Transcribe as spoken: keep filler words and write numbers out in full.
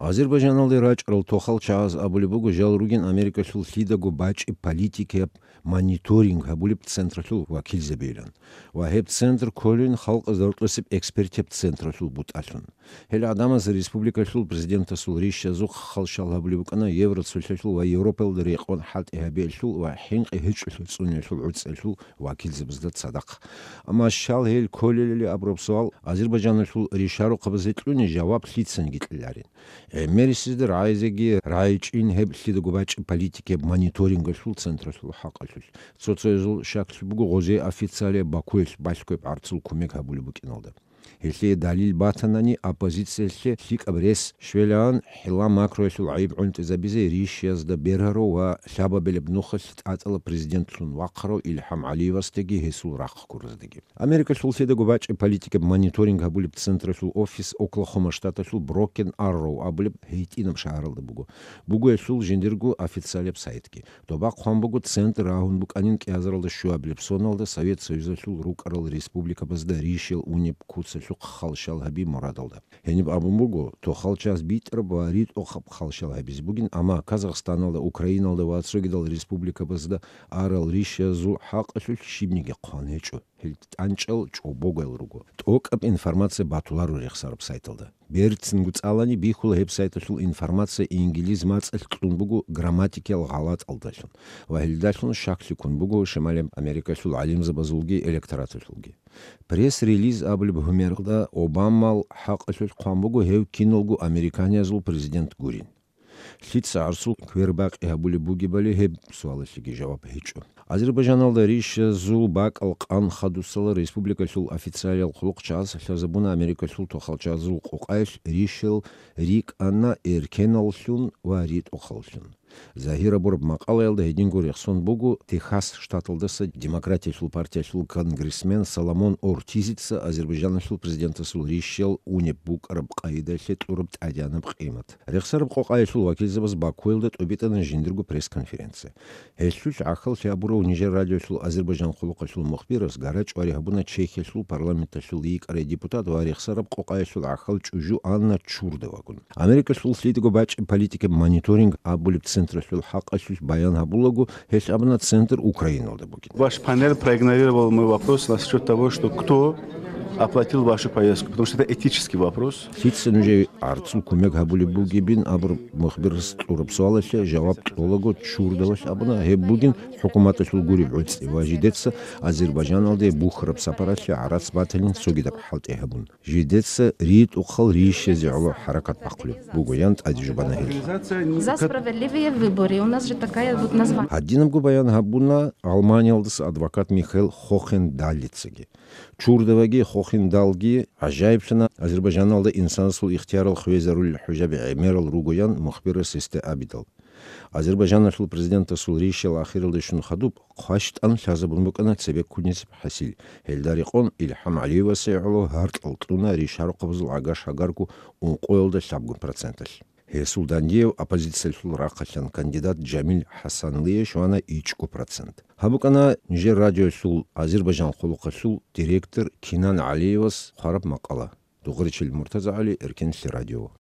Азербайджаналде рачӀарал тохал чагӀаз абулеб буго жал ругин Америкалъул лъидаго бачӀи политикияб мониторинг гьабулеб централъул вакилзабийилан. Ва гьеб центр кколин халкъазда рокьосеб экспертияб централъул бутӀалъун. Гьел гӀадамаз республикалъул президентасул ришазухъ халщал гьабулеб букӀана Евроцолъалъул ва Европаялда рекъон хӀалтӀи гьабиялъул ва хӀинкъи гьечӀолъи цӀуниялъул гӀуцӀиялъул вакилзабазда цадахъ. Амма щал гьел кколелали абураб суал Азербайджаналъул ришарухъабазе кьуни жаваб лъицаниги кьеларин. ГӀемерисезда рагӀизеги рагӀичӀин гьеб лъидаго бачӀи политикияб мониторингалъул централъул хӀакъалъулъ. Цо-цоязул щаклъи буго гъозие официалияб Бакуялъ балъгояб гӀарцул кумек гьабулеб букӀиналда. Гьелъие далил батанани, оппозициялъе лъикӀаб рес щвелаан хӀилла макруялъул гӀайиб гӀунтӀизабизе ришиязда бергьарав ва лъабабилеб нухалъ тӀатӀала президентлъун вахъарав Илхам ГӀалиевасдаги гьесул рахъ гураздаги. Америкалъул лъидаго бачӀи политикаб мониторинг гьабулеб централъул офис Оклахома штаталъул Брокен Арроу абулеб гьитӀинаб шагьаралда буго. Буго гьелъул жиндирго официалияб сайтги. Доба хъван буго центр рагьун букӀанин кӀиазаралда щуабилеб соналда Совет Союзалъул рукӀарал республикабазда ришиял унеб куцалъухъ халщал гьаби мурадалда. Гьениб абун буго, тохал чагӀаз битӀараб ва ритӀухъаб халщал гьабизе бугин, амма Казахстаналда, Украиналда ва цогидал республикабазда арал ришазул хӀакъалъулъ щибниги хъван гьечӀо. Гьел тӀанчӀал чӀобогоял руго. ТӀокӀаб информация батуларо рехсараб сайталда. Берцинго цӀалани бихьула гьеб сайталъул информация инглиз мацӀалъ кьун буго грамматикиял гъалатӀалдалъун ва гьелдалъун щаклъи ккун буго Шималияб Америкалъул гӀалимзабазулги электораталъулги. Пресс-релиз абулеб гьумералда Обамал хӀакъалъулъ хъван буго гьев киналго американиязул президент гурин. Лъица гӀарцул квербакъи гьабулеб бугебали гьеб суалалъеги жаваб гьечӀо. Азербайджаналда ришазул бакӀал къан хадусала республикалъул официалиял хъулухъчагӀаз лъазабуна Америкалъул тохалчагӀазул къокъаялъ ришал рикӀкӀана эркеналлъун ва ритӀухъаллъун. Загьир абураб макъалаялда гьединго рехсон буго Техас штаталдаса Демократиялъул партиялъул конгрессмен Соломон Ортизица Азербайджаналъул президентасул ришал унеб букӀараб къайдаялъе кьураб тӀадегӀанаб къимат. Рехсараб къокъаялъул вакилзабаз Бакуялда тӀубитӀана жиндирго пресс-конференция. Гьелъул гӀахьаллъи гьабурав нижер радиолъул Азербайджан хъулухъалъул мухбирас гарачӀвари гьабуна Чехиялъул парламенталъул йикӀарай депутат ва рехсараб къокъаялъул гӀахьал чӀужу Анна Чурдовагун. Америкалъул лъидаго бачӀи политикаб мониторинг абулеб централъул хӀакъалъулъ баян гьабулаго, гьелъ абуна центр Украиналда бугин. Ваш панель проигнорировал мой вопрос насчет того, что кто оплатил вашу поездку, потому что это этический вопрос. Лъица нужее гӀарцул кумек гьабулеб бугебин абураб мухбирас кьураб суалалъе жаваб кьолаго Чурдовалъ абуна, гьеб бугин хӀукуматалъул гуреб гӀуцӀи ва жидеца Азербайджаналде бухьараб сапаралъе гӀарац батанин цогидаб хӀалтӀи гьабун. Жидеца ритӀухъал ришазе гӀоло хӀаракат бахъулеб бугоян тӀадежубана гьел. За справедливые выборы. У нас же такая вот название. Гьадинабго баян гьабуна Гьалманиялдаса адвокат Михаил Хохендалицаги. Чурдоваги Хохендалги гӀажаиблъана Азербайджаналда инсанасул ихтиярал хвезарулел хӀужаби гӀемерал ругоян мухбирас гьесда абидал. Азербайджаналъул президентасул ришал ахиралде щун хадуб, хъващтӀан лъазабун букӀана цебеккунизиб хӀасил. Гьелда рекъон Илхам ГӀалиевасе гӀоло гьаркьал кьуна ришарухъабазул гӀагар-шагарго ункъоялда лъабгун проценталъ. Гьесул дандияв оппозициялъул рахъалъан кандидат Жамил ХӀасанлие щвана ичӀго процент. Гьаб букӀана нижер радиолъул Азербайджан хъулухъалъул директор Кинан ГӀалиевас хъвараб макъала. Дугъричил МуртазагӀали, Эркенлъи радио.